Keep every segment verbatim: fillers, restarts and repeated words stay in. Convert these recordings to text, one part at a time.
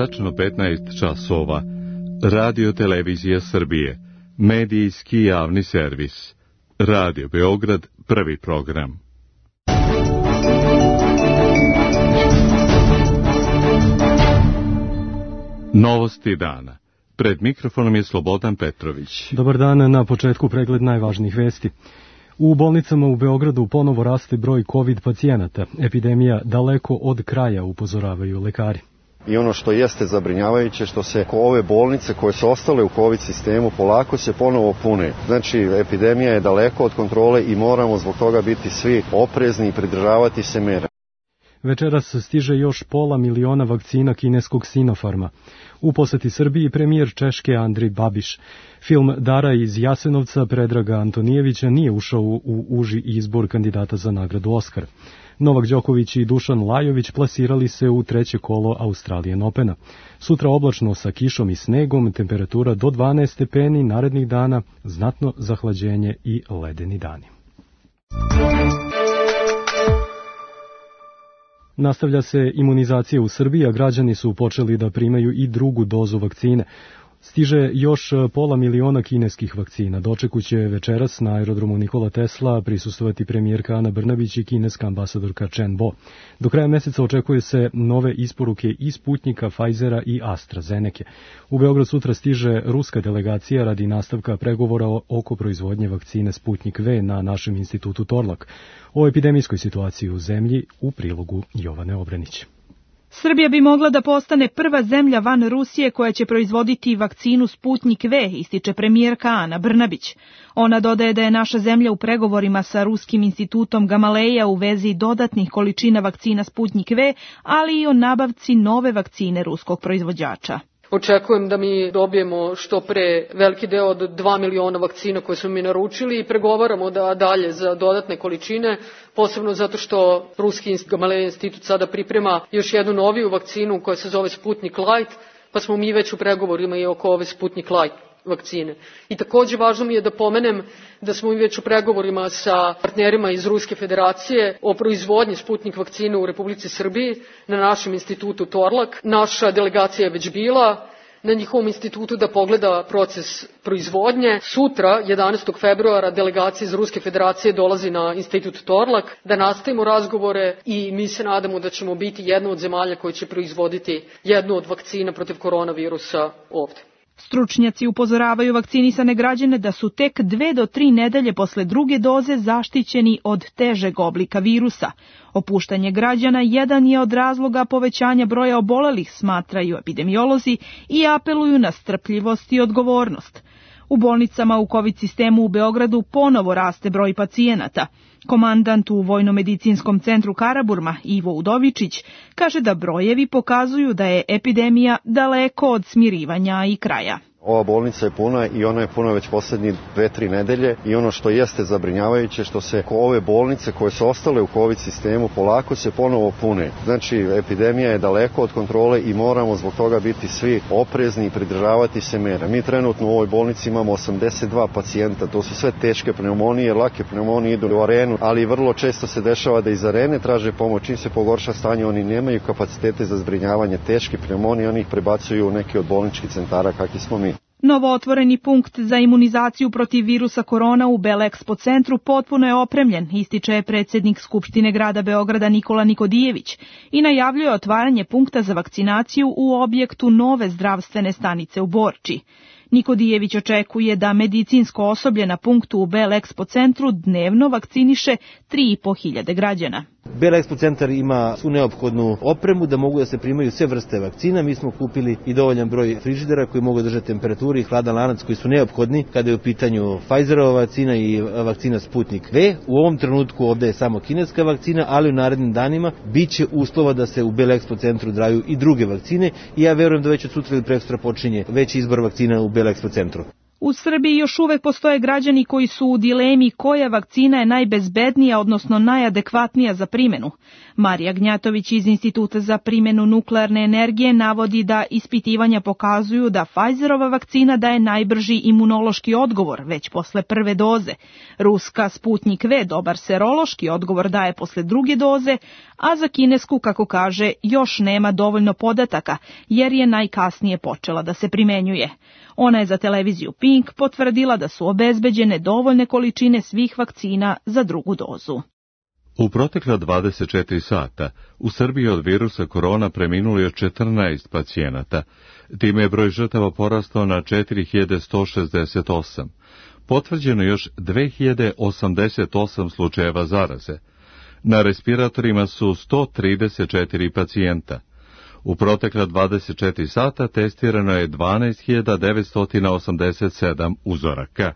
tačno petnaest časova. Radio Televizija Srbije, medijski javni servis. Radio Beograd, prvi program. Novosti dana. Pred mikrofonom je Slobodan Petrović. Dobar dan, na početku pregled najvažnijih vesti. U bolnicama u Beogradu ponovo raste broj COVID pacijenata. Epidemija daleko od kraja, upozoravaju lekari. I ono što jeste zabrinjavajuće, što se ove bolnice koje su ostale u COVID sistemu polako se ponovo pune. Znači, epidemija je daleko od kontrole i moramo zbog toga biti svi oprezni i pridržavati se mera. Večeras stiže još pola miliona vakcina kineskog Sinopharma. U poseti Srbiji premijer Češke Andrej Babiš. Film Dara iz Jasenovca Predraga Antonijevića nije ušao u uži izbor kandidata za nagradu Oskar. Novak Đoković i Dušan Lajović plasirali se u treće kolo Australian Opena. Sutra oblačno sa kišom i snegom, temperatura do dvanaest stepeni, narednih dana znatno zahlađenje i ledeni dani. Nastavlja se imunizacija u Srbiji, a građani su počeli da primaju i drugu dozu vakcine. Stiže još pola miliona kineskih vakcina. Dočeku će večeras na aerodromu Nikola Tesla prisustvovati premijerka Ana Brnabić i kineska ambasadorka Chen Bo. Do kraja meseca očekuje se nove isporuke i Sputnika, Pfizera i AstraZeneke. U Beograd sutra stiže ruska delegacija radi nastavka pregovora oko proizvodnje vakcine Sputnik V na našem institutu Torlak. O epidemijskoj situaciji u zemlji u prilogu Jovane Obrenić. Srbija bi mogla da postane prva zemlja van Rusije koja će proizvoditi vakcinu Sputnik V, ističe premijerka Ana Brnabić. Ona dodaje da je naša zemlja u pregovorima sa Ruskim institutom Gamaleja u vezi dodatnih količina vakcina Sputnik V, ali i o nabavci nove vakcine ruskog proizvođača. Očekujem da mi dobijemo što pre veliki deo od dva miliona vakcina koje smo mi naručili i pregovaramo da dalje za dodatne količine, posebno zato što Ruski Gamaleja institut sada priprema još jednu noviju vakcinu koja se zove Sputnik Light, pa smo mi već u pregovorima i oko ove Sputnik Light vakcine. I takođe važno mi je da pomenem da smo mi već u pregovorima sa partnerima iz Ruske federacije o proizvodnji Sputnik vakcine u Republici Srbiji na našem institutu Torlak. Naša delegacija je već bila na njihovom institutu da pogleda proces proizvodnje. Sutra, jedanaestog februara, delegacija iz Ruske federacije dolazi na institut Torlak da nastavimo razgovore i mi se nadamo da ćemo biti jedna od zemalja koja će proizvoditi jednu od vakcina protiv koronavirusa ovde. Stručnjaci upozoravaju vakcinisane građane da su tek dve do tri nedelje posle druge doze zaštićeni od težeg oblika virusa. Opuštanje građana jedan je od razloga povećanja broja obolelih, smatraju epidemiolozi i apeluju na strpljivost i odgovornost. U bolnicama u COVID sistemu u Beogradu ponovo raste broj pacijenata. Komandant u Vojnomedicinskom centru Karaburma, Ivo Udovičić, kaže da brojevi pokazuju da je epidemija daleko od smirivanja i kraja. Ova bolnica je puna i ona je puna već poslednjih dve, tri nedelje i ono što jeste zabrinjavajuće, što se ove bolnice koje su ostale u COVID sistemu polako se ponovo pune. Znači, epidemija je daleko od kontrole i moramo zbog toga biti svi oprezni i pridržavati se mera. Mi trenutno u ovoj bolnici imamo osamdeset dva pacijenta, to su sve teške pneumonije, lake pneumonije idu u arenu, ali vrlo često se dešava da iz arene traže pomoć. Čim se pogorša stanje, oni nemaju kapacitete za zbrinjavanje teške pneumonije, oni ih prebacuju u neki od bolničkih centara kakvi smo mi. Novo otvoreni punkt za imunizaciju protiv virusa korona u Belexpo centru potpuno je opremljen, ističe predsjednik Skupštine grada Beograda Nikola Nikodijević i najavljuje otvaranje punkta za vakcinaciju u objektu nove zdravstvene stanice u Borči. Nikodijević očekuje da medicinsko osoblje na punktu u Belexpo centru dnevno vakciniše tri i po hiljade građana. Belexpo centar ima svu neophodnu opremu da mogu da se primaju sve vrste vakcina. Mi smo kupili i dovoljan broj frižidera koji mogu držati temperaturu i hladan lanac koji su neophodni kada je u pitanju Pfizerova vakcina i vakcina Sputnik V. U ovom trenutku ovde je samo kineska vakcina, ali u narednim danima biće uslova da se u Belexpo centru daju i druge vakcine i ja verujem da već od sutra ili prekstra počinje veći izbor vakcina u Belexpo centru. U Srbiji još uvek postoje građani koji su u dilemi koja vakcina je najbezbednija, odnosno najadekvatnija za primenu. Marija Gnjatović iz Instituta za primjenu nuklearne energije navodi da ispitivanja pokazuju da Pfizerova vakcina daje najbrži imunološki odgovor već posle prve doze. Ruska Sputnik V dobar serološki odgovor daje posle druge doze, a za kinesku, kako kaže, još nema dovoljno podataka jer je najkasnije počela da se primenjuje. Ona je za televiziju Pink potvrdila da su obezbeđene dovoljne količine svih vakcina za drugu dozu. U protekla dvadeset četiri sata u Srbiji od virusa korona preminulo je četrnaest pacijenata. Time je broj žrtava porastao na četiri hiljade sto šezdeset osam. Potvrđeno još dve hiljade osamdeset osam slučajeva zaraze. Na respiratorima su sto trideset četiri pacijenta. U protekla dvadeset četiri sata testirano je dvanaest hiljada devetsto osamdeset sedam uzoraka.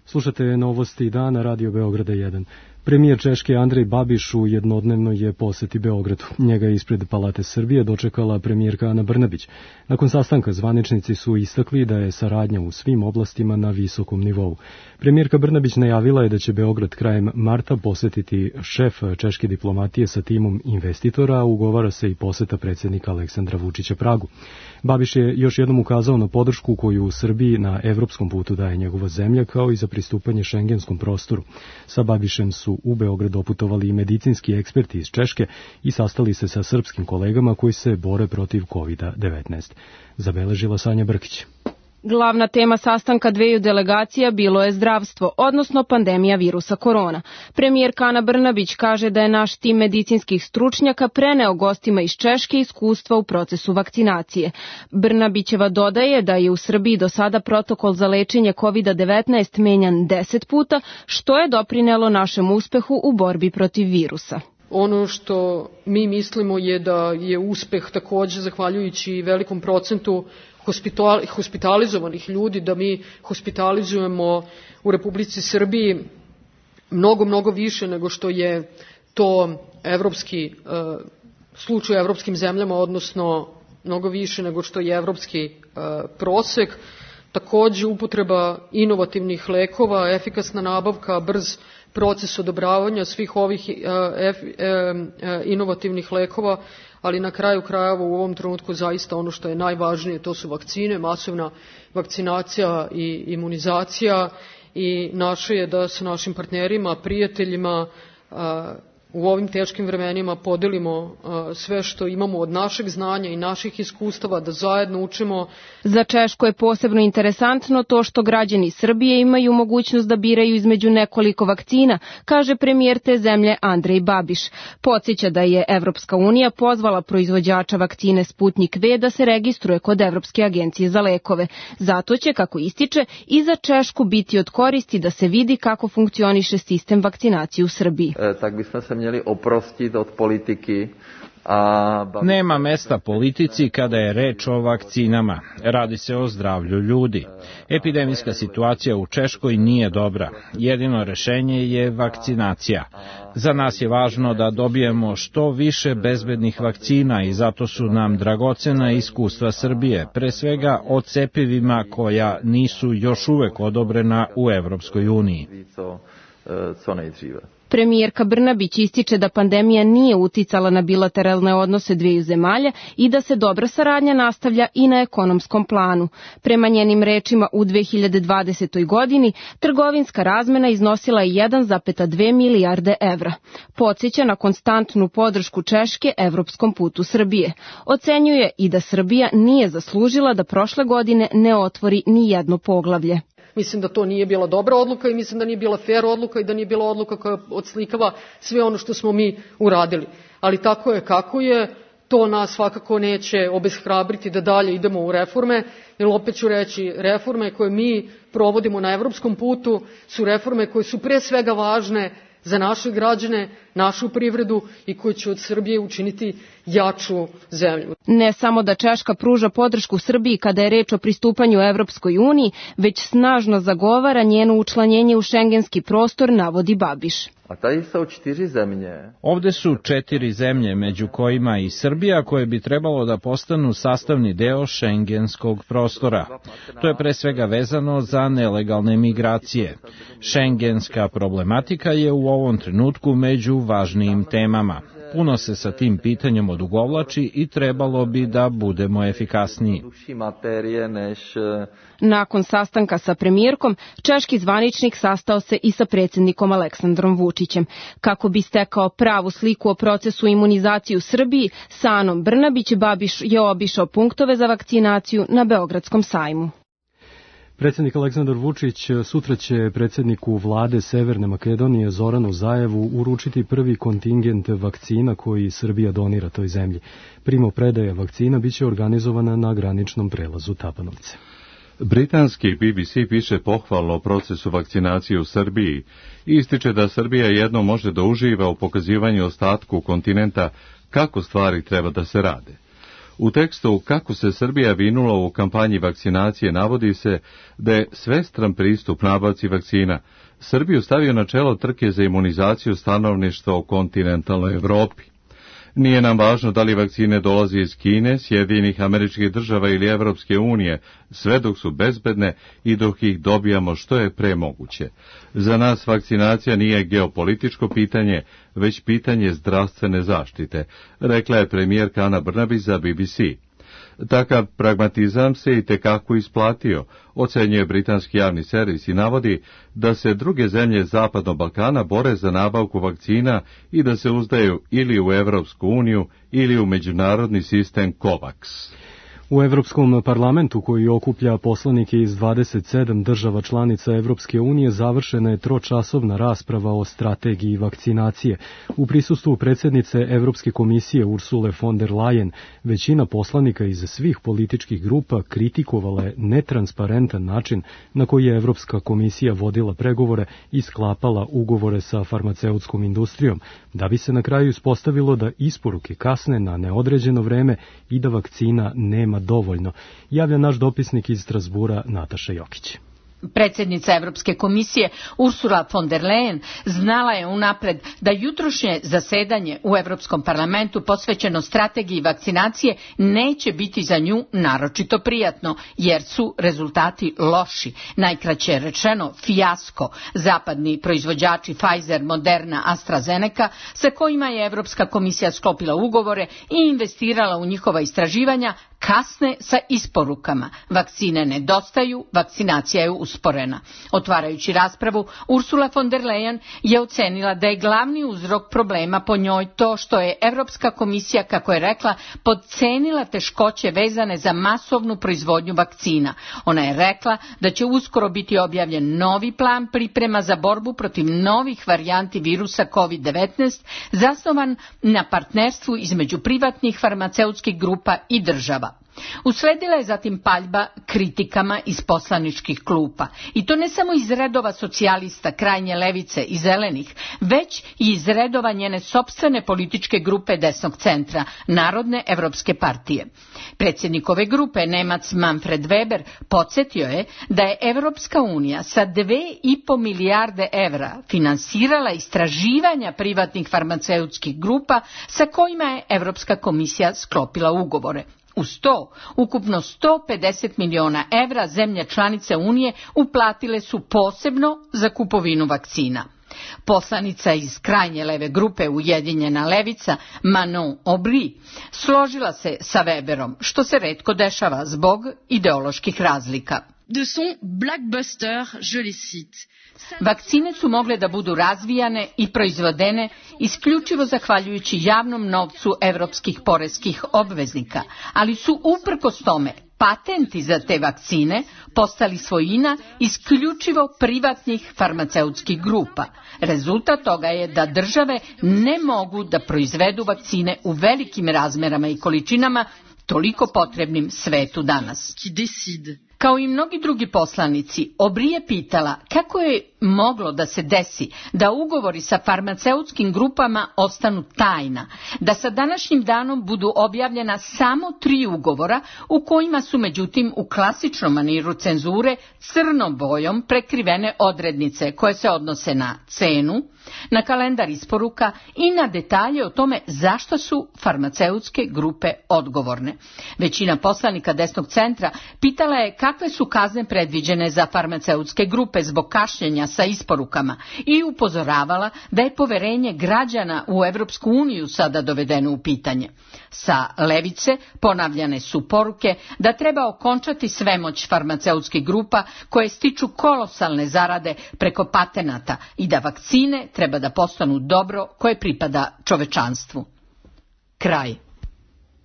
Slušate novosti dana Radio Beograda jedan. Premijer Češke Andrej Babiš u jednodnevnoj je poseti Beogradu. Njega je ispred Palate Srbije dočekala premijerka Ana Brnabić. Nakon sastanka zvaničnici su istakli da je saradnja u svim oblastima na visokom nivou. Premijerka Brnabić najavila je da će Beograd krajem marta posetiti šef češke diplomatije sa timom investitora, a ugovara se i poseta predsjednika Aleksandra Vučića Pragu. Babiš je još jednom ukazao na podršku koju u Srbiji na evropskom putu daje njegova zemlja, kao i za pristupanje šengenskom prostoru. Sa Babišem su u Beograd doputovali i medicinski eksperti iz Češke i sastali se sa srpskim kolegama koji se bore protiv kovid devetnaest. Zabeležila Sanja Brkić. Glavna tema sastanka dveju delegacija bilo je zdravstvo, odnosno pandemija virusa korona. Premijerka Ana Brnabić kaže da je naš tim medicinskih stručnjaka preneo gostima iz Češke iskustva u procesu vakcinacije. Brnabićeva dodaje da je u Srbiji do sada protokol za lečenje kovid devetnaest menjan deset puta, što je doprinelo našem uspehu u borbi protiv virusa. Ono što mi mislimo je da je uspeh također zahvaljujući velikom procentu hospitalizovanih ljudi, da mi hospitalizujemo u Republici Srbiji mnogo, mnogo više nego što je to evropski slučaj u evropskim zemljama, odnosno mnogo više nego što je evropski prosek. Također upotreba inovativnih lekova, efikasna nabavka, brz proces odobravanja svih ovih inovativnih lekova, ali na kraju krajeva u ovom trenutku zaista ono što je najvažnije, to su vakcine, masovna vakcinacija i imunizacija, i naše je da sa našim partnerima, prijateljima u ovim teškim vremenima podelimo sve što imamo od našeg znanja i naših iskustava, da zajedno učimo. Za Češku je posebno interesantno to što građani Srbije imaju mogućnost da biraju između nekoliko vakcina, kaže premijer te zemlje Andrej Babiš. Podsjeća da je Evropska unija pozvala proizvođača vakcine Sputnik V da se registruje kod Evropske agencije za lekove. Zato će, kako ističe, i za Češku biti od koristi da se vidi kako funkcioniše sistem vakcinacije u Srbiji. E, tak bismo se měli oprostit od politiky. Nema mesta politici kada je reč o vakcinama. Radi se o zdravlju ljudi. Epidemijska situacija u Češkoj nije dobra. Jedino rešenje je vakcinacija. Za nas je važno da dobijemo što više bezbednih vakcina i zato su nam dragocena iskustva Srbije, pre svega o cepivima koja nisu još uvek odobrena u Evropskoj uniji. Premijerka Brnabić ističe da pandemija nije uticala na bilateralne odnose dveju zemalja i da se dobra saradnja nastavlja i na ekonomskom planu. Prema njenim rečima u dve hiljade dvadesetoj. godini trgovinska razmena iznosila je jedan zarez dve milijarde evra. Podsjeća na konstantnu podršku Češke evropskom putu Srbije. Ocenjuje i da Srbija nije zaslužila da prošle godine ne otvori ni jedno poglavlje. Mislim da to nije bila dobra odluka i mislim da nije bila fair odluka i da nije bila odluka koja odslikava sve ono što smo mi uradili. Ali tako je kako je, to nas svakako neće obeshrabriti da dalje idemo u reforme, jer opet ću reći, reforme koje mi provodimo na evropskom putu su reforme koje su pre svega važne za naše građane, našu privredu i koji će od Srbije učiniti jaču zemlju. Ne samo da Češka pruža podršku Srbiji kada je reč o pristupanju Evropskoj uniji, već snažno zagovara njeno učlanjenje u šengenski prostor, navodi Babiš. A tady su čtyři zemlje. Ovde su četiri zemlje, među kojima i Srbija, koje bi trebalo da postanu sastavni deo šengenskog prostora. To je pre svega vezano za nelegalne migracije. Šengenska problematika je u ovom trenutku među važnijim temama. Puno se sa tim pitanjem odugovlači i trebalo bi da budemo efikasniji. Nakon sastanka sa premijerkom, češki zvaničnik sastao se i sa predsjednikom Aleksandrom Vučićem. Kako bi stekao pravu sliku o procesu imunizacije u Srbiji, sa Anom Brnabić Babiš je obišao punktove za vakcinaciju na Beogradskom sajmu. Predsjednik Aleksandar Vučić sutra će predsjedniku vlade Severne Makedonije Zoranu Zajevu uručiti prvi kontingent vakcina koji Srbija donira toj zemlji. Primopredaja vakcina biće organizovana na graničnom prelazu Tabanovce. Britanski B B C piše pohvalno o procesu vakcinacije u Srbiji i ističe da Srbija jedno može da uživa u pokazivanju ostatku kontinenta kako stvari treba da se rade. U tekstu Kako se Srbija vinula u kampanji vakcinacije navodi se da je svestran pristup nabavci vakcina Srbiju stavio na čelo trke za imunizaciju stanovništva u kontinentalnoj Evropi. Nije nam važno da li vakcine dolaze iz Kine, Sjedinjenih Američkih Država ili Evropske unije, sve dok su bezbedne i dok ih dobijamo što je pre moguće. Za nas vakcinacija nije geopolitičko pitanje, već pitanje zdravstvene zaštite, rekla je premijerka Ana Brnabić za B B C. Takav pragmatizam se i tekako isplatio, ocenjuje britanski javni servis i navodi da se druge zemlje Zapadnog Balkana bore za nabavku vakcina i da se uzdaju ili u Evropsku uniju ili u međunarodni sistem COVAX. U Evropskom parlamentu, koji okuplja poslanike iz dvadeset sedam država članica Evropske unije, završena je tročasovna rasprava o strategiji vakcinacije. U prisustvu predsjednice Evropske komisije Ursule von der Leyen, većina poslanika iz svih političkih grupa kritikovala je netransparentan način na koji je Evropska komisija vodila pregovore i sklapala ugovore sa farmaceutskom industrijom, da bi se na kraju ispostavilo da isporuke kasne na neodređeno vreme i da vakcina nema dovoljno, javlja naš dopisnik iz Strasbura Nataša Jokić. Predsjednica Evropske komisije Ursula von der Leyen znala je unapred da jutrošnje zasedanje u Evropskom parlamentu posvećeno strategiji vakcinacije neće biti za nju naročito prijatno, jer su rezultati loši. Najkraće rečeno, fijasko. Zapadni proizvođači Pfizer, Moderna, AstraZeneca, sa kojima je Evropska komisija sklopila ugovore i investirala u njihova istraživanja, kasne sa isporukama. Vakcine nedostaju, vakcinacija je usporena. Otvarajući raspravu, Ursula von der Leyen je ocenila da je glavni uzrok problema po njoj to što je Evropska komisija, kako je rekla, podcenila teškoće vezane za masovnu proizvodnju vakcina. Ona je rekla da će uskoro biti objavljen novi plan priprema za borbu protiv novih varijanti virusa kovid devetnaest, zasnovan na partnerstvu između privatnih farmaceutskih grupa i država. Usledila je zatim paljba kritikama iz poslaničkih klupa. I to ne samo iz redova socijalista, krajnje levice i zelenih, već i iz redova njene sopstvene političke grupe desnog centra, Narodne evropske partije. Predsjednik ove grupe, Nemac Manfred Weber, podsjetio je da je Evropska unija sa dve i po milijarde evra finansirala istraživanja privatnih farmaceutskih grupa sa kojima je Evropska komisija sklopila ugovore. Uz to, ukupno sto pedeset miliona evra zemlje članice Unije uplatile su posebno za kupovinu vakcina. Poslanica iz krajnje leve grupe Ujedinjena levica, Manon Aubry, složila se sa Weberom, što se retko dešava zbog ideoloških razlika. De son blockbuster, je les cite. Vakcine su mogle da budu razvijane i proizvodene isključivo zahvaljujući javnom novcu evropskih poreskih obveznika, ali su uprkos tome patenti za te vakcine postali svojina isključivo privatnih farmaceutskih grupa. Rezultat toga je da države ne mogu da proizvedu vakcine u velikim razmerama i količinama toliko potrebnim svetu danas. Kao i mnogi drugi poslanici, Aubry je pitala kako je moglo da se desi da ugovori sa farmaceutskim grupama ostanu tajna, da sa današnjim danom budu objavljena samo tri ugovora u kojima su međutim u klasičnom maniru cenzure crnom bojom prekrivene odrednice koje se odnose na cenu, na kalendar isporuka i na detalje o tome zašto su farmaceutske grupe odgovorne. Većina poslanika desnog centra pitala je kakve su kazne predviđene za farmaceutske grupe zbog kašnjenja sa isporukama i upozoravala da je poverenje građana u Evropsku uniju sada dovedeno u pitanje. Sa levice ponavljane su poruke da treba okončati svemoć farmaceutskih grupa koje stiču kolosalne zarade preko patenata i da vakcine treba da postanu dobro koje pripada čovečanstvu. Kraj.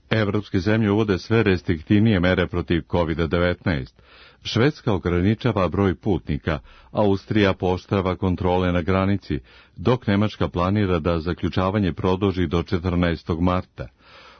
Evropske zemlje uvode sve restriktivnije mere protiv kovid devetnaest. Švedska ograničava broj putnika, Austrija pooštrava kontrole na granici, dok Nemačka planira da zaključavanje produži do četrnaestog marta.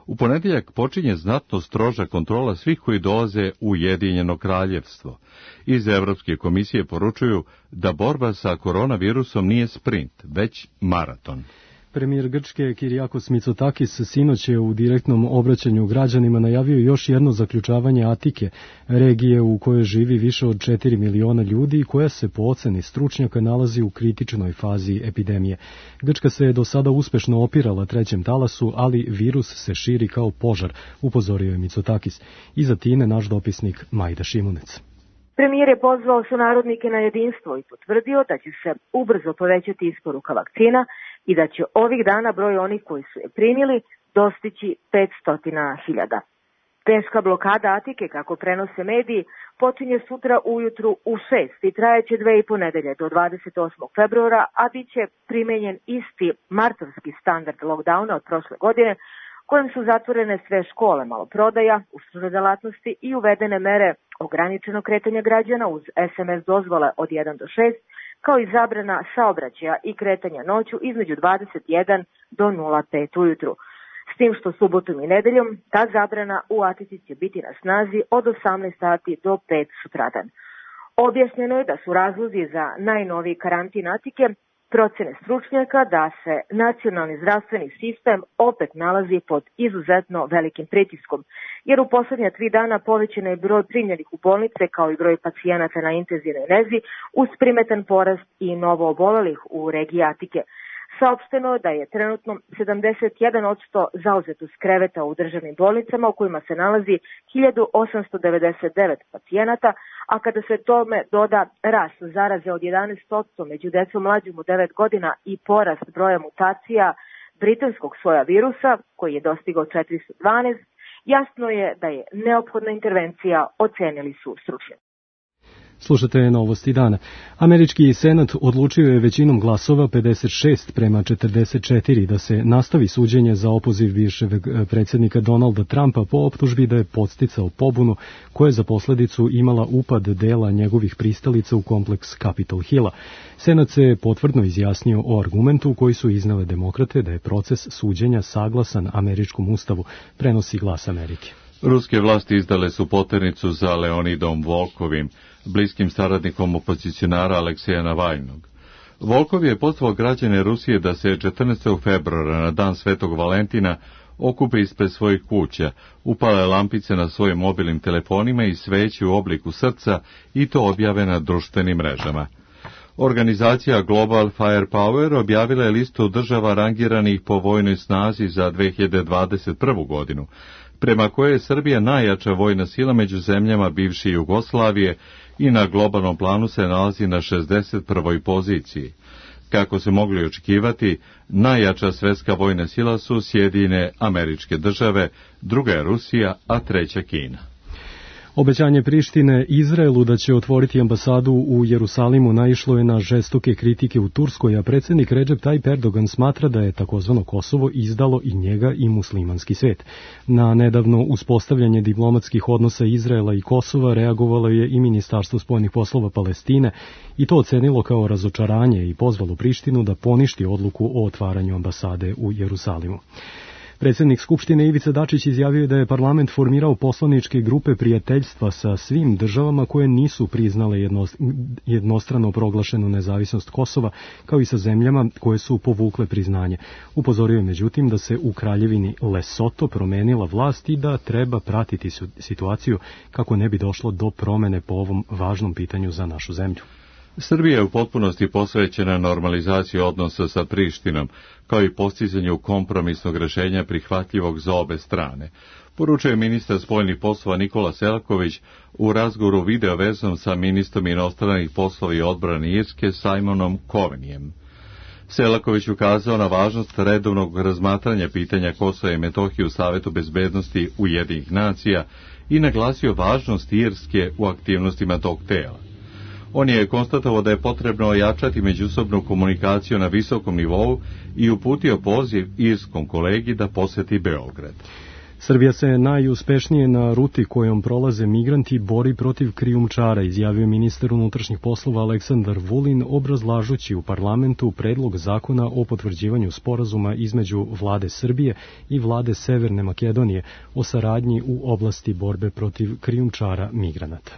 U ponedjeljak počinje znatno stroža kontrola svih koji dolaze u Ujedinjeno kraljevstvo. Iz Evropske komisije poručuju da borba sa koronavirusom nije sprint, već maraton. Premijer Grčke Kyriakos Mitsotakis sinoć je u direktnom obraćanju građanima najavio još jedno zaključavanje Atike, regije u kojoj živi više od četiri miliona ljudi i koja se po oceni stručnjaka nalazi u kritičnoj fazi epidemije. Grčka se je do sada uspešno opirala trećem talasu, ali virus se širi kao požar, upozorio je Mitsotakis. Iza Tine naš dopisnik Majda Šimunec. Premijer je pozvao sunarodnike na jedinstvo i potvrdio da će se ubrzo povećati isporuka vakcina i da će ovih dana broj onih koji su je primili dostići petsto hiljada. Teška blokada Atike, kako prenose mediji, počinje sutra ujutru u šest i trajeće dve i po nedelje do dvadeset osmog februara, a bit će primenjen isti martovski standard lockdowna od prošle godine, kojim su zatvorene sve škole, maloprodaja, uslužne delatnosti i uvedene mere ograničenog kretanja građana uz es em es dozvole od jedan do šest, kao i zabrana saobraćaja i kretanja noću između dvadeset jedan do nula pet ujutru. S tim što subotom i nedeljom ta zabrana u Atici će biti na snazi od osamnaest sati do pet sutradan. Objašnjeno je da su razlozi za najnoviji karantin Atike procene stručnjaka da se nacionalni zdravstveni sistem opet nalazi pod izuzetno velikim pritiskom, jer u posljednja tri dana povećan je broj primljenih u bolnice kao i broj pacijenata na intenzivnoj nezi uz primetan porast i novo obolelih u regiji Atike. Saopšteno je da je trenutno sedamdeset jedan posto zauzetost kreveta u državnim bolnicama u kojima se nalazi hiljadu osamsto devedeset devet pacijenata, a kada se tome doda rast zaraze od jedanaest posto među decom mlađim od devet godina i porast broja mutacija britanskog soja virusa, koji je dostigao četiristo dvanaest, jasno je da je neophodna intervencija, ocenili su stručnjaci. Slušate Novosti dana. Američki senat odlučio je većinom glasova pedeset šest prema četrdeset četiri da se nastavi suđenje za opoziv bivšeg predsjednika Donalda Trumpa po optužbi da je podsticao pobunu koja je za posledicu imala upad dela njegovih pristalica u kompleks Capitol Hilla. Senat se potvrdno izjasnio o argumentu koji su iznale demokrate da je proces suđenja saglasan američkom ustavu, prenosi Glas Amerike. Ruske vlasti izdale su poternicu za Leonidom Volkovim, bliskim saradnikom opozicionara Alekseja Navaljnog. Volkov je pozvao građane Rusije da se četrnaestog februara na dan Svetog Valentina okupe ispred svojih kuća, upale lampice na svojim mobilnim telefonima i sveće u obliku srca i to objave na društvenim mrežama. Organizacija Global Firepower objavila je listu država rangiranih po vojnoj snazi za dve hiljade dvadeset prvu godinu, prema kojoj je Srbija najjača vojna sila među zemljama bivše Jugoslavije i na globalnom planu se nalazi na šezdeset prvoj poziciji. Kako se mogli očekivati, najjača svetska vojna sila su Sjedinjene Američke Države, druga je Rusija, a treća Kina. Obećanje Prištine Izraelu da će otvoriti ambasadu u Jerusalimu naišlo je na žestoke kritike u Turskoj, a predsjednik Recep Tayyip Erdogan smatra da je takozvano Kosovo izdalo i njega i muslimanski svet. Na nedavno uspostavljanje diplomatskih odnosa Izraela i Kosova reagovalo je i Ministarstvo spoljnih poslova Palestine i to ocenilo kao razočaranje i pozvalo Prištinu da poništi odluku o otvaranju ambasade u Jerusalimu. Predsjednik Skupštine Ivica Dačić izjavio da je parlament formirao poslaničke grupe prijateljstva sa svim državama koje nisu priznale jednostrano proglašenu nezavisnost Kosova, kao i sa zemljama koje su povukle priznanje. Upozorio je međutim da se u kraljevini Lesoto promenila vlast i da treba pratiti situaciju kako ne bi došlo do promene po ovom važnom pitanju za našu zemlju. Srbija je u potpunosti posvećena normalizaciji odnosa sa Prištinom, kao i postizanju kompromisnog rešenja prihvatljivog za obe strane, poručuje ministar spoljnih poslova Nikola Selaković u razgovoru video vezom sa ministrom inostranih poslova i odbrane Irske Simonom Covenyem. Selaković ukazao na važnost redovnog razmatranja pitanja Kosova i Metohije u Savetu bezbednosti Ujedinjenih nacija i naglasio važnost Irske u aktivnostima tog tela. On je konstatovao da je potrebno ojačati međusobnu komunikaciju na visokom nivou i uputio poziv irskom kolegi da poseti Beograd. Srbija se najuspešnije na ruti kojom prolaze migranti bori protiv krijumčara, izjavio ministar unutrašnjih poslova Aleksandar Vulin, obrazlažući u parlamentu predlog zakona o potvrđivanju sporazuma između vlade Srbije i vlade Severne Makedonije o saradnji u oblasti borbe protiv krijumčara migranata.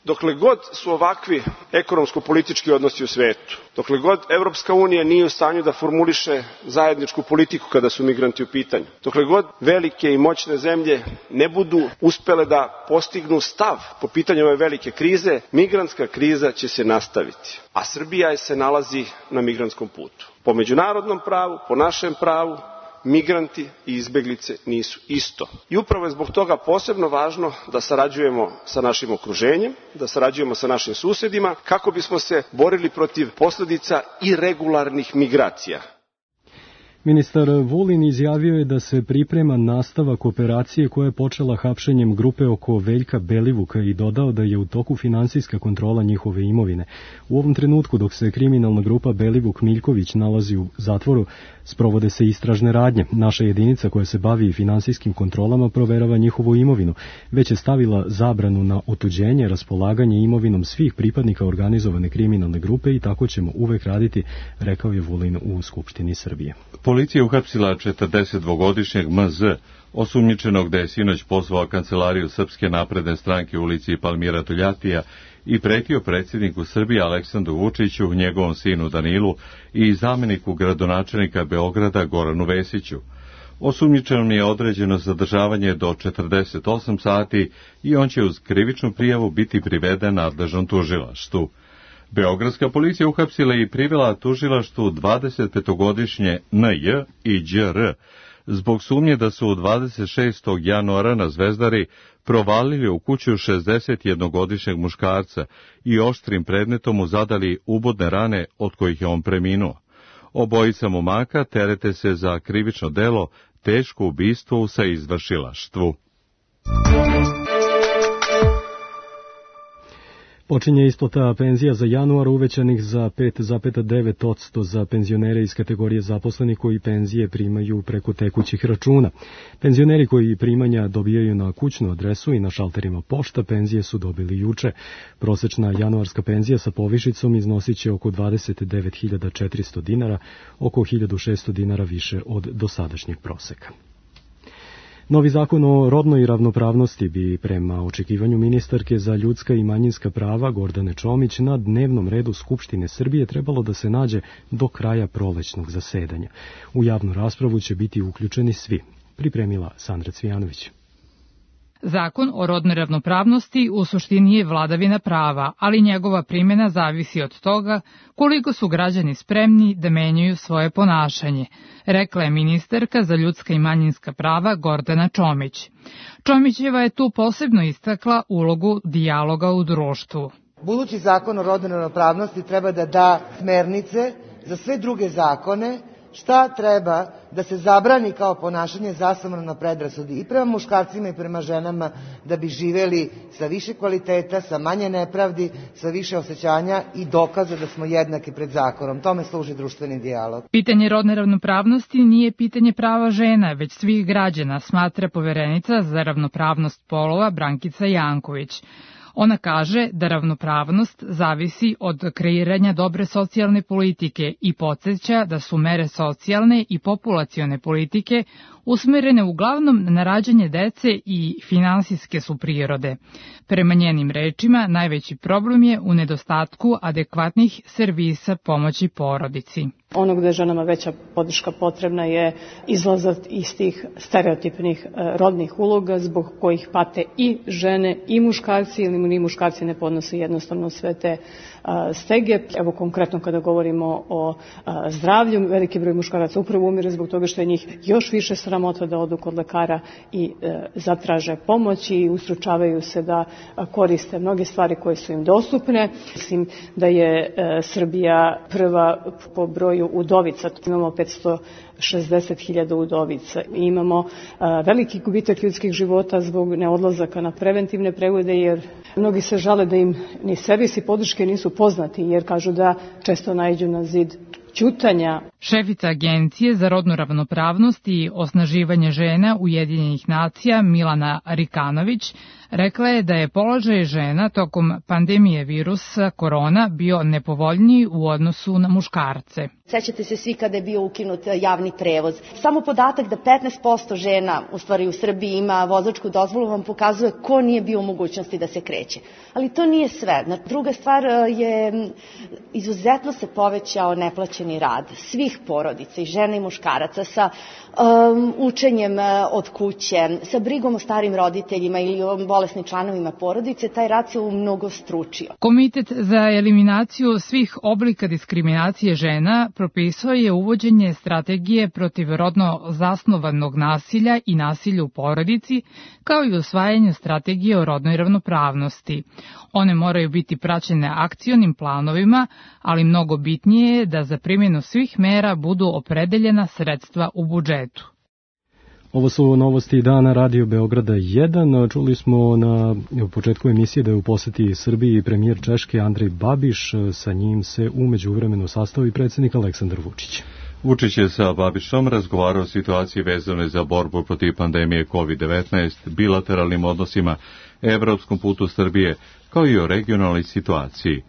Dokle god su ovakvi ekonomsko-politički odnosi u svetu, dokle god Evropska unija nije u stanju da formuliše zajedničku politiku kada su migranti u pitanju, dokle god velike i moćne zemlje ne budu uspele da postignu stav po pitanju ove velike krize, migrantska kriza će se nastaviti. A Srbija se nalazi na migrantskom putu. Po međunarodnom pravu, po našem pravu, migranti i izbeglice nisu isto. I upravo je zbog toga posebno važno da sarađujemo sa našim okruženjem, da sarađujemo sa našim susedima, kako bismo se borili protiv posledica irregularnih migracija. Ministar Vulin izjavio je da se priprema nastavak operacije koja je počela hapšenjem grupe oko Veljka Belivuka i dodao da je u toku finansijska kontrola njihove imovine. U ovom trenutku, dok se kriminalna grupa Belivuk Miljković nalazi u zatvoru, sprovode se istražne radnje. Naša jedinica koja se bavi finansijskim kontrolama proverava njihovu imovinu, već je stavila zabranu na otuđenje, raspolaganje imovinom svih pripadnika organizovane kriminalne grupe i tako ćemo uvek raditi, rekao je Vulin u Skupštini Srbije. Policija uhapsila četrdesetdvogodišnjeg M Z, osumnjičenog da je sinoć pozvao kancelariju Srpske napredne stranke u ulici Palmira Toljatija i pretio predsjedniku Srbije Aleksandru Vučiću, njegovom sinu Danilu i zameniku gradonačelnika Beograda Goranu Vesiću. Osumnjičenom je određeno zadržavanje do četrdeset osam sati i on će uz krivičnu prijavu biti priveden nadležnom tužilaštvu. Beogradska policija uhapsila i privela tužilaštvu dvadesetpetogodišnje N J i Đ R zbog sumnje da su dvadeset šestog januara na Zvezdari provalili u kuću šezdesetjednogodišnjeg muškarca i oštrim predmetom mu zadali ubodne rane od kojih je on preminuo. Obojica momaka terete se za krivično delo teško ubistvo u saizvršilaštvu. Počinje isplata penzija za januar uvećanih za pet zarez devet posto za penzionere iz kategorije zaposlenih koji penzije primaju preko tekućih računa. Penzioneri koji primanja dobijaju na kućnu adresu i na šalterima pošta penzije su dobili juče. Prosečna januarska penzija sa povišicom iznosit će oko dvadeset devet hiljada četiristo dinara, oko hiljadu šesto dinara više od dosadašnjeg proseka. Novi zakon o rodnoj ravnopravnosti bi prema očekivanju ministarke za ljudska i manjinska prava Gordane Čomić na dnevnom redu Skupštine Srbije trebalo da se nađe do kraja prolećnog zasedanja. U javnu raspravu će biti uključeni svi, pripremila Sandra Cvijanović. Zakon o rodnoj ravnopravnosti u suštini je vladavina prava, ali njegova primjena zavisi od toga koliko su građani spremni da menjaju svoje ponašanje, rekla je ministarka za ljudska i manjinska prava Gordana Čomić. Čomićeva je tu posebno istakla ulogu dijaloga u društvu. Budući zakon o rodnoj ravnopravnosti treba da da smernice za sve druge zakone šta treba da se zabrani kao ponašanje zasnovano na predrasudi i prema muškarcima i prema ženama da bi živeli sa više kvaliteta, sa manje nepravdi, sa više osjećanja i dokaza da smo jednaki pred zakonom. Tome služi društveni dijalog. Pitanje rodne ravnopravnosti nije pitanje prava žena, već svih građana, smatra poverenica za ravnopravnost polova Brankica Janković. Ona kaže da ravnopravnost zavisi od kreiranja dobre socijalne politike i podsjeća da su mere socijalne i populacione politike usmerene uglavnom na rađanje dece i finansijske su prirode. Prema njenim rečima, najveći problem je u nedostatku adekvatnih servisa pomoći porodici. Ono gde je ženama veća podrška potrebna je izlazak iz tih stereotipnih rodnih uloga zbog kojih pate i žene i muškarci, ili ni muškarci ne podnose jednostavno sve te stege. Evo konkretno kada govorimo o zdravlju, veliki broj muškaraca upravo umire zbog toga što je njih još više sramota da odu kod lekara i zatraže pomoć i ustručavaju se da koriste mnoge stvari koje su im dostupne. Mislim da je Srbija prva po broju udovica. Imamo petsto šezdeset hiljada udovica. Imamo veliki gubitak ljudskih života zbog neodlazaka na preventivne preglede, jer mnogi se žale da im ni servisi podrške nisu poznati, jer kažu da često naiđu na zid ćutanja. Šefica Agencije za rodnu ravnopravnost i osnaživanje žena Ujedinjenih nacija Milana Rikanović rekla je da je položaj žena tokom pandemije virusa korona bio nepovoljniji u odnosu na muškarce. Sećate se svi kada je bio ukinut javni prevoz. Samo podatak da petnaest posto žena u stvari u Srbiji ima vozačku dozvolu vam pokazuje ko nije bio u mogućnosti da se kreće. Ali to nije sve. Druga stvar je izuzetno se povećao neplaćeni rad svih porodica, i žena i muškaraca, sa um, učenjem od kuće, sa brigom o starim roditeljima ili o bolesnim članovima porodice. Taj rad se umnogostručio. Komitet za eliminaciju svih oblika diskriminacije žena propisao je uvođenje strategije protiv rodno zasnovanog nasilja i nasilja u porodici, kao i usvajanje strategije o rodnoj ravnopravnosti. One moraju biti praćene akcionim planovima, ali mnogo bitnije je da za primjenu svih mera budu opredeljena sredstva u budžetu. Ovo su novosti dana Radio Beograda jedan. Čuli smo na početku emisije da je u poseti Srbiji premijer Češke Andrej Babiš. Sa njim se u međuvremenu sastao i predsjednik Aleksandar Vučić. Vučić je sa Babišom razgovarao o situaciji vezane za borbu protiv pandemije kovid devetnaest, bilateralnim odnosima, evropskom putu Srbije, kao i o regionalnoj situaciji.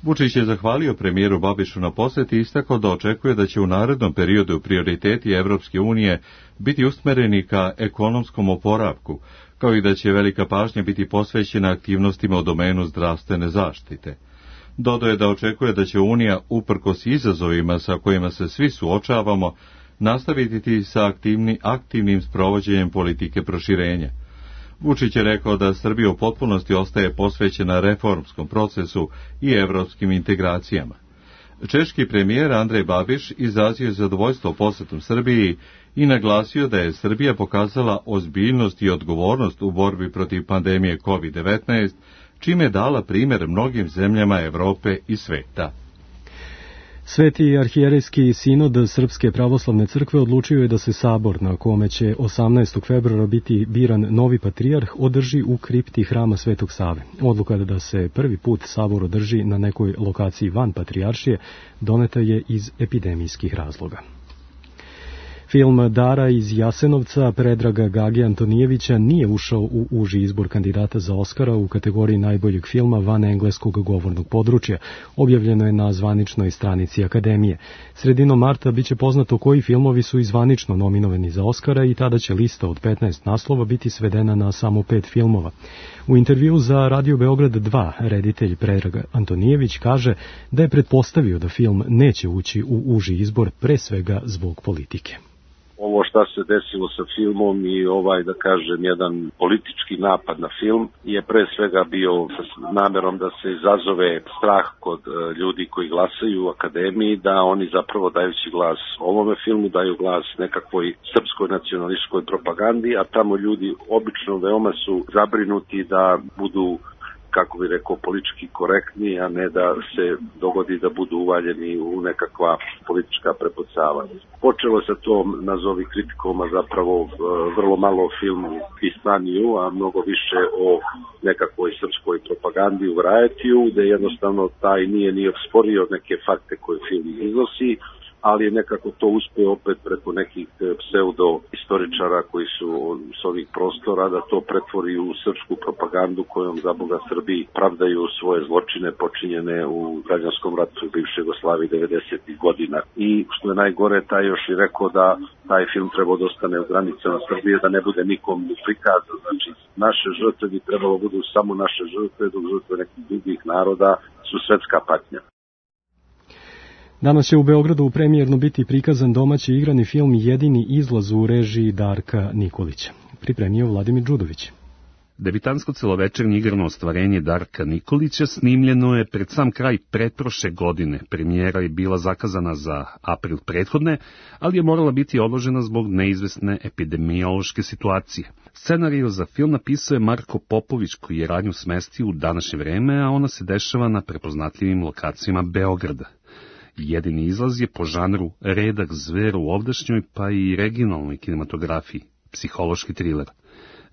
Vučić je zahvalio premijeru Babišu na poseti i istakao da očekuje da će u narednom periodu prioriteti Evropske unije biti usmereni ka ekonomskom oporavku, kao i da će velika pažnja biti posvećena aktivnostima u domenu zdravstvene zaštite. Dodao je da očekuje da će Unija, uprkos izazovima sa kojima se svi suočavamo, nastaviti sa aktivni, aktivnim sprovođenjem politike proširenja. Vučić je rekao da Srbija u potpunosti ostaje posvećena reformskom procesu i evropskim integracijama. Češki premijer Andrej Babiš izrazio zadovoljstvo posetom Srbiji i naglasio da je Srbija pokazala ozbiljnost i odgovornost u borbi protiv pandemije kovid devetnaest, čime je dala primjer mnogim zemljama Evrope i sveta. Sveti arhijerejski sinod Srpske pravoslavne crkve odlučio je da se sabor, na kome će osamnaestog februara biti biran novi patrijarh, održi u kripti hrama Svetog Save. Odluka da se prvi put sabor održi na nekoj lokaciji van patrijaršije doneta je iz epidemijskih razloga. Film Dara iz Jasenovca Predraga Gage Antonijevića nije ušao u uži izbor kandidata za Oskara u kategoriji najboljeg filma van engleskog govornog područja. Objavljeno je na zvaničnoj stranici Akademije. Sredinom marta biće poznato koji filmovi su i zvanično nominovani za Oskara i tada će lista od petnaest naslova biti svedena na samo pet filmova. U intervju za Radio Beograd dva reditelj Predrag Antonijević kaže da je pretpostavio da film neće ući u uži izbor, pre svega zbog politike. Ovo šta se desilo sa filmom i ovaj, da kažem, jedan politički napad na film je pre svega bio sa namerom da se izazove strah kod ljudi koji glasaju u Akademiji, da oni zapravo dajući glas ovome filmu daju glas nekakvoj srpskoj nacionalističkoj propagandi, a tamo ljudi obično veoma su zabrinuti da budu, kako bi rekao, politički korektni, a ne da se dogodi da budu uvaljeni u nekakva politička prepucavanja. Počelo sa tom, nazovi kritikom, a zapravo vrlo malo o filmu Pistaniju, a mnogo više o nekakvoj srpskoj propagandi u Varietiju, gde jednostavno taj nije ni osporio neke fakte koje film iznosi, ali je nekako to uspeo opet preko nekih pseudo-istoričara koji su s ovih prostora da to pretvori u srpsku propagandu kojom za Boga Srbiji pravdaju svoje zločine počinjene u građanskom ratu u bivšoj Jugoslaviji devedesetih godina. I što je najgore, taj još i rekao da taj film trebao da ostane u granicama Srbije, da ne bude nikom prikazan. Znači, naše žrtve bi trebalo budu samo naše žrtve, dok žrtve nekih drugih naroda su svetska patnja. Danas će u Beogradu premijerno biti prikazan domaći igrani film Jedini izlaz u režiji Darka Nikolića. Pripremio Vladimir Đudović. Debitansko celovečernje igrano ostvarenje Darka Nikolića snimljeno je pred sam kraj pretprošle godine. Premijera je bila zakazana za april prethodne, ali je morala biti odložena zbog neizvesne epidemiološke situacije. Scenariju za film napisao je Marko Popović, koji je radnju smestio u današnje vreme, a ona se dešava na prepoznatljivim lokacijama Beograda. Jedini izlaz je po žanru redak zver u ovdašnjoj pa i regionalnoj kinematografiji, psihološki triler.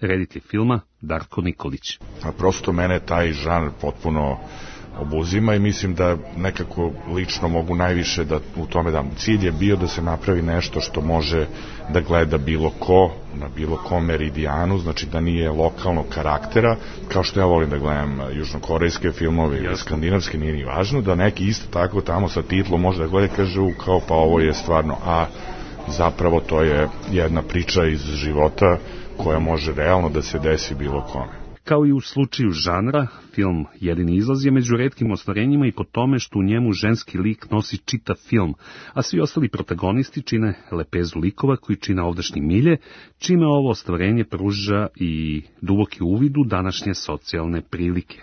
Reditelj filma Darko Nikolić. A prosto mene taj žanr potpuno obuzima i mislim da nekako lično mogu najviše da u tome dam. Cilj je bio da se napravi nešto što može da gleda bilo ko, na bilo kom meridijanu, znači da nije lokalnog karaktera, kao što ja volim da gledam južnokorejske filmove ili skandinavske, nije ni važno, da neki isto tako tamo sa titlom može da gleda, kaže kao pa ovo je stvarno, a zapravo to je jedna priča iz života koja može realno da se desi bilo kome. Kao i u slučaju žanra, film Jedini izlaz je među retkim ostvarenjima i po tome što u njemu ženski lik nosi čitav film, a svi ostali protagonisti čine lepezu likova koji čine ovdašnji milje, čime ovo ostvarenje pruža i duboki uvid u današnje socijalne prilike.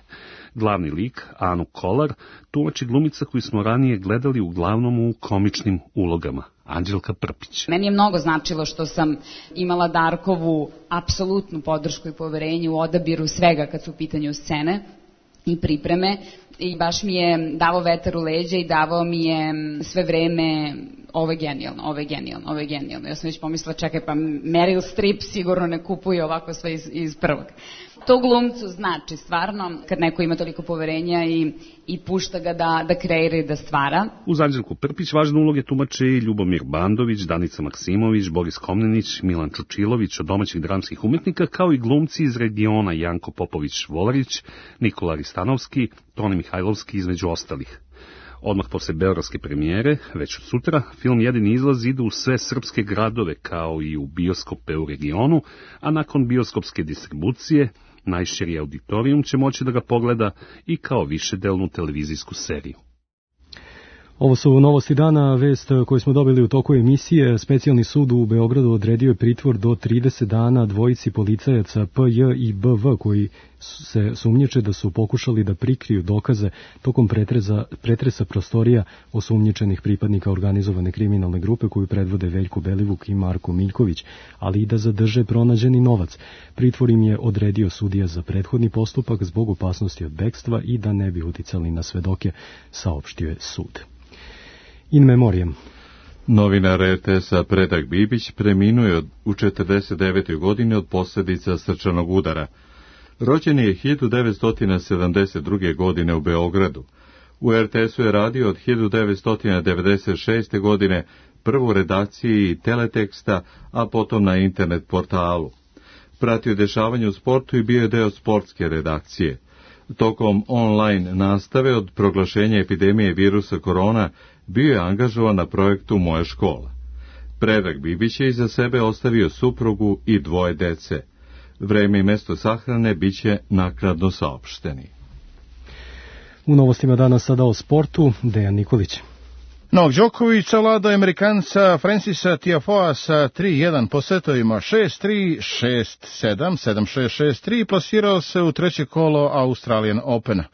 Glavni lik, Anu Kolar, tumači glumica koju smo ranije gledali uglavnom u komičnim ulogama, Anđelka Prpić. Meni je mnogo značilo što sam imala Darkovu apsolutnu podršku i poverenje u odabiru svega kad su u pitanju scene i pripreme i baš mi je davao vetar u leđa i davao mi je sve vreme ovo je genijalno, ovo je genijalno, ovo je genijalno. Ja sam već pomislila, čekaj, pa Meryl Streep sigurno ne kupuje ovako sve iz, iz prvog. To glumcu znači stvarno kad neko ima toliko poverenja i, i pušta ga da, da kreira i da stvara. Uz Anđelku Prpić važne uloge tumače i Ljubomir Bandović, Danica Maksimović, Boris Komnenić, Milan Čučilović od domaćih dramskih umetnika, kao i glumci iz regiona Janko Popović-Volarić, Nikola Ristanovski, Toni Mihajlovski između ostalih. Odmah posle beogradske premijere, već od sutra, film Jedini izlaz ide u sve srpske gradove kao i u bioskope u regionu, a nakon bioskopske distribucije, najširi auditorijum će moći da ga pogleda i kao višedelnu televizijsku seriju. Ovo su novosti dana, vest koju smo dobili u toku emisije. Specijalni sud u Beogradu odredio je pritvor do trideset dana dvojici policajaca P J i B V koji se sumnjiče da su pokušali da prikriju dokaze tokom pretreza, pretresa prostorija osumnjičenih pripadnika organizovane kriminalne grupe koju predvode Veljko Belivuk i Marko Miljković, ali i da zadrže pronađeni novac. Pritvor im je odredio sudija za prethodni postupak zbog opasnosti od bekstva i da ne bi uticali na svedoke, saopštio je sud. In memoriam. Novinar R T S-a Predrag Bibić preminuo u četrdeset devetoj godini od posljedica srčanog udara. Rođen je hiljadu devetsto sedamdeset druge. godine u Beogradu. U R T S-u je radio od hiljadu devetsto devedeset šeste. godine prvo u redakciji teleteksta, a potom na internet portalu. Pratio dešavanje u sportu i bio je deo sportske redakcije. Tokom online nastave od proglašenja epidemije virusa korona bio je angažovan na projektu Moja škola. Predrag Bibić je iza sebe ostavio suprugu i dvoje dece. Vreme i mesto sahrane bit će naknadno saopšteni. U novostima danas sada o sportu, Dejan Nikolić. Novak Đoković savlada Amerikanca Francisa Tiafoea sa tri jedan po setovima šest tri, šest sedam, sedam šest, šest tri i plasirao se u treće kolo Australian Opena.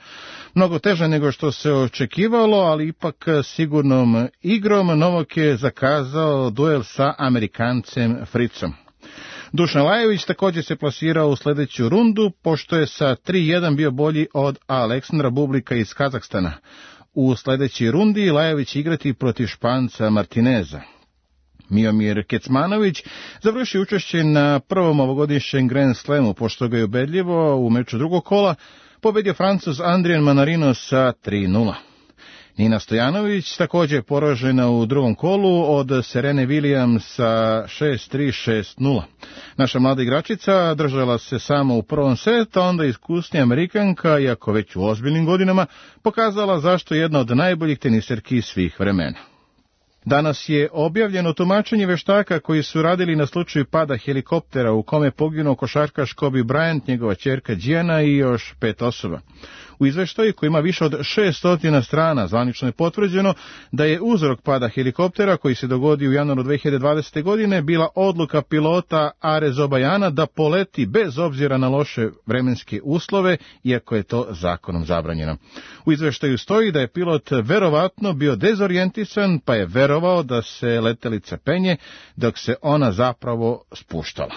Mnogo teže nego što se očekivalo, ali ipak sigurnom igrom Novak je zakazao duel sa Amerikancem Fritzom. Dušan Lajović također se plasirao u sljedeću rundu, pošto je sa tri jedan bio bolji od Aleksandra Bublika iz Kazahstana. U sljedećoj rundi Lajović igrati protiv Španca Martineza. Miomir Kecmanović završi učešće na prvom ovogodišnjem Grand Slamu, pošto ga je ubedljivo u meču drugog kola pobedio Francuz Adrien Manarino sa tri nula. Nina Stojanović također poražena u drugom kolu od Serene Williams sa šest tri šest nula. Naša mlada igračica držala se samo u prvom setu, onda iskusnija Amerikanka, iako već u ozbiljnim godinama, pokazala zašto je jedna od najboljih teniserki svih vremena. Danas je objavljeno tumačenje veštaka koji su radili na slučaju pada helikoptera u kome poginuo košarkaš Kobe Bryant, njegova ćerka Gianna i još pet osoba. U izveštaju koji ima više od šessto strana zvanično je potvrđeno da je uzrok pada helikoptera koji se dogodio u januaru dve hiljade dvadesete. godine bila odluka pilota Are Zobajana da poleti bez obzira na loše vremenske uslove, iako je to zakonom zabranjeno. U izveštaju stoji da je pilot verovatno bio dezorijentisan pa je verovao da se letelica penje dok se ona zapravo spuštala.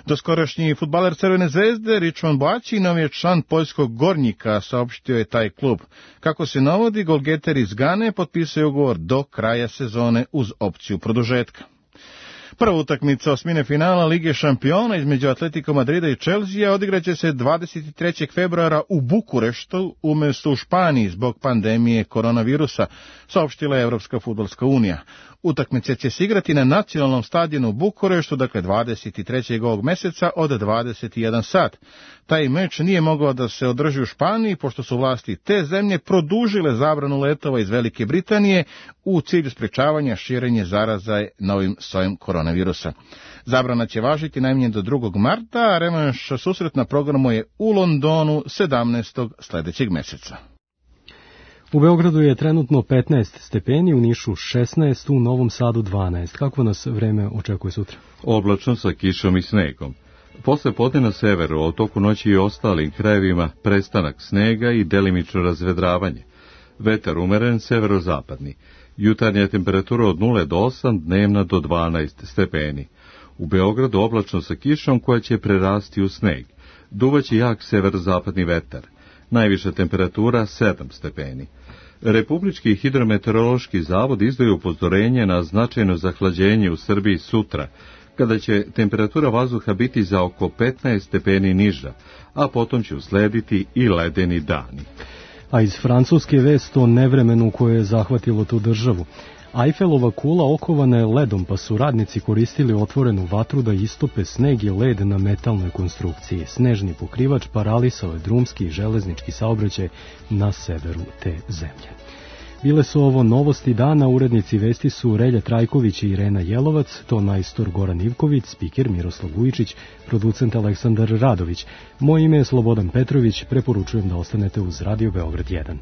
Doskorašnji fudbaler Crvene zvezde Richmond Boačinov je član poljskog Gornjika, saopštio je taj klub. Kako se navodi, golgeter iz Gane potpisao ugovor do kraja sezone uz opciju produžetka. Prva utakmica osmine finala Lige šampiona između Atletico Madrida i Chelsea odigraće se dvadeset trećeg februara u Bukureštu umjesto u Španiji zbog pandemije koronavirusa, saopštila je Evropska fudbalska unija. Utakmice će se igrati na nacionalnom stadionu u Bukureštu, dakle dvadeset trećeg ovog mjeseca od dvadeset jedan sat. Taj meč nije mogao da se održi u Španiji, pošto su vlasti te zemlje produžile zabranu letova iz Velike Britanije u cilju sprečavanja širenja zaraza novim sojem koronavirusa. Zabrana će važiti najmanje do drugog marta, a revanš susret na programu je u Londonu sedamnaestog sljedećeg mjeseca. U Beogradu je trenutno petnaest stepeni, u Nišu šesnaest, u Novom Sadu dvanaest. Kako nas vreme očekuje sutra? Oblačno sa kišom i snegom. Posle podne na severu, a u toku noći i ostalim krajevima prestanak snega i delimično razvedravanje. Vetar umeren severozapadni. Jutarnja temperatura od nula do osam, dnevna do dvanaest stepeni. U Beogradu oblačno sa kišom koja će prerasti u sneg. Duvaće jak severozapadni vetar. Najviša temperatura sedam stepeni. Republički hidrometeorološki zavod izdaje upozorenje na značajno zahlađenje u Srbiji sutra, kada će temperatura vazduha biti za oko petnaest stepeni niža, a potom će uslediti i ledeni dani. A iz Francuske vest o nevremenu koje je zahvatilo tu državu. Eiffelova kula okovana je ledom, pa su radnici koristili otvorenu vatru da istope sneg i led na metalnoj konstrukciji. Snežni pokrivač paralisao je drumski i železnički saobraćaj na severu te zemlje. Bile su ovo novosti dana, urednici vesti su Relja Trajković i Irena Jelovac, tonajstor Goran Ivković, spiker Miroslav Vujičić, producent Aleksandar Radović. Moje ime je Slobodan Petrović, preporučujem da ostanete uz Radio Beograd jedan.